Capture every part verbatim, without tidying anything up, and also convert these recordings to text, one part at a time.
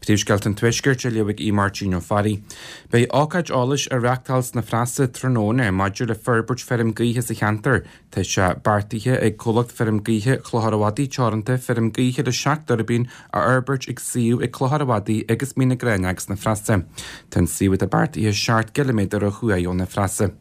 Príomhscéalta an Tuaiscirt á léamh ag Aodh Máirtín Ó Fearraigh. Beidh ócáid eolais á reáchtáil sna Preasa tráthnóna maidir le forbairt feirm gaoithe sa cheantar. Tá sé beartaithe ag comhlacht feirm gaoithe Chlochar an Mhadaidh Teoranta feirm gaoithe le seacht dtuirbín a fhorbairt ag suíomh ag Clochar an Mhadaidh agus Mín na Gráinneach sna Preasa. Tá an suíomh atá beartaithe seacht gciliméadar ó thuaidh ó na Preasa.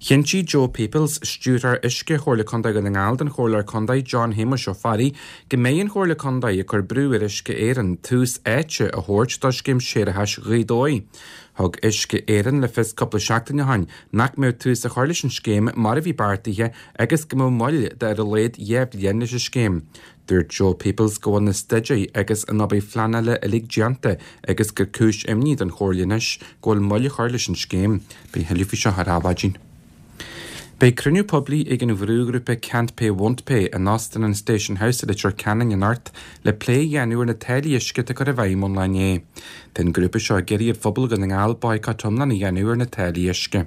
Chinntigh Joe Peoples, stiúrthóir uisce Chomhairle Contae Dhún na nGall don Chomhairleoir Contae John Shéamuis Ó Fearraigh go mbeidh an Chomhairle Contae ag cur brú ar Uisce Éireann tús áite a thabhairt do scéim séarachais Ghaoth Dobhair. Thug Uisce Éireann le fios cúpla seachtain ó shin nach mbeadh tús á chur leis an scéim mar a bhí beartaithe agus go mbeadh moill de ar a laghad dhá bhliain leis an scéim. Dúirt Joe Peoples go bhfuil na staidéir agus an obair phleanála uilig déanta agus gur cúis imní don Chomhairle anois go bhfuil moill á chur leis an scéim. Beidh tuilleadh faoi seo ar Adhmhaidin. Beidh cruinniú poiblí ag an bhrúghrúpa Can't Pay Won't Pay in Óstán an Station House i Leitir Ceanainn anocht le plé a dhéanamh ar na táillí uisce atá curtha i bhfeidhm ón lá inné. Tá an grúpa seo ag iarraidh ar phobal Dhún na nGall baghcat iomlán a dhéanamh ar na táillí uisce.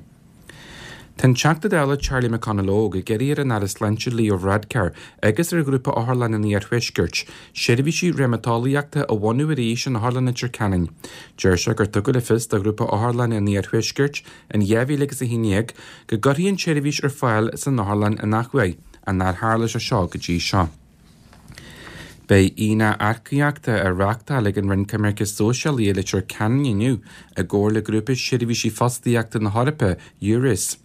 Tá an Teachta Dála Charlie McConalogue ag iarraidh ar an Aire Sláinte Leo Varadkar agus ar ghrúpa Otharlann an Iarthuaiscirt seirbhísí reumatolaíochta a bhunú arís in Otharlann Leitir Ceanainn. Deir sé gur tugadh le fios do ghrúpa Otharlann an Iarthuaiscirt in dhá mhíle agus a haon déag go gcuirfí an tseirbhís ar fáil san otharlann in athuair, ach nár tharla sé seo go dtí seo. Beidh aonach earcaíochta á reáchtáil ag an Roinn Coimirce Sóisialaí i Leitir Ceanainn inniu i gcomhar le grúpa seirbhísí fostaíochta na hEorpa, EURES.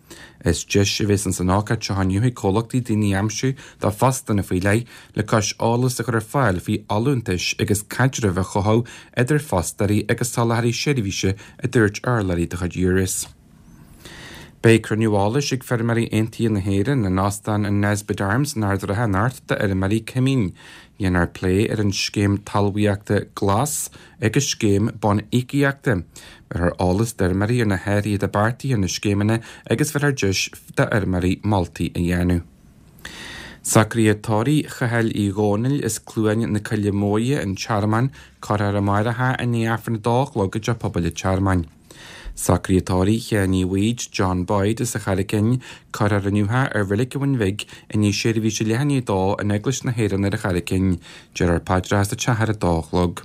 Is deis a bheas san ócáid seo inniu ag comhlachtaí daoine a aimsiú do phostanna faoi leith le cois eolas a chur ar fáil faoi fholúntais agus caidreamh a chothú idir fostóirí agus soláthraithe seirbhíse a dúirt urlabhraí de chuid EURES. Beidh cruinniú eolais ag Feirmeoirí Aontaithe na hÉireann in Óstán an Nesbitt Arms in Ard an Rátha anocht d'fheirmeoirí cuimín. Dhéanfar plé ar an scéim talmhaíochta glas agus scéim bonn íocaíochta. Bheirfear eolas d'fheirmeoirí ar na hathruithe atá beartaithe ar na scéimeanna agus bheirfear deis d'fheirmeoirí moltaí a dhéanamh. Socruithe tórraimh Chathail Uí Dhónaill as Cluain na Coille Móire an Tearmann curtha ar amárach i ndiaidh Aifreann a dó a chlog i dTeach Pobail an Tearmainn. Socruithe tórraimh Sheáin Uí Bhaoid, John Boyd as an Charraig Fhinn, curtha ar inniu ar Reilig an Bhun Bhig i ndiaidh seirbhíse leath i ndiaidh a dó in Eaglais na hÉireann ar an Charraig Fhinn. Déarfar paidreacha sa teach ar a dó a chlog.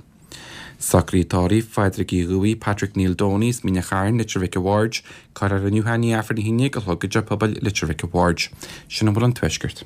Socruithe tórraimh Phádraig Uí Dhubhaigh, Patrick Neil Doney as Mín an Chairn, Leitir Mhic a' Bhaird, curtha ar inniu i ndiaidh Aifreann a haon déag a chlog i dTeach Pobail Leitir Mhic a' Bhaird. Sin a bhfuil ón Tuaisceart.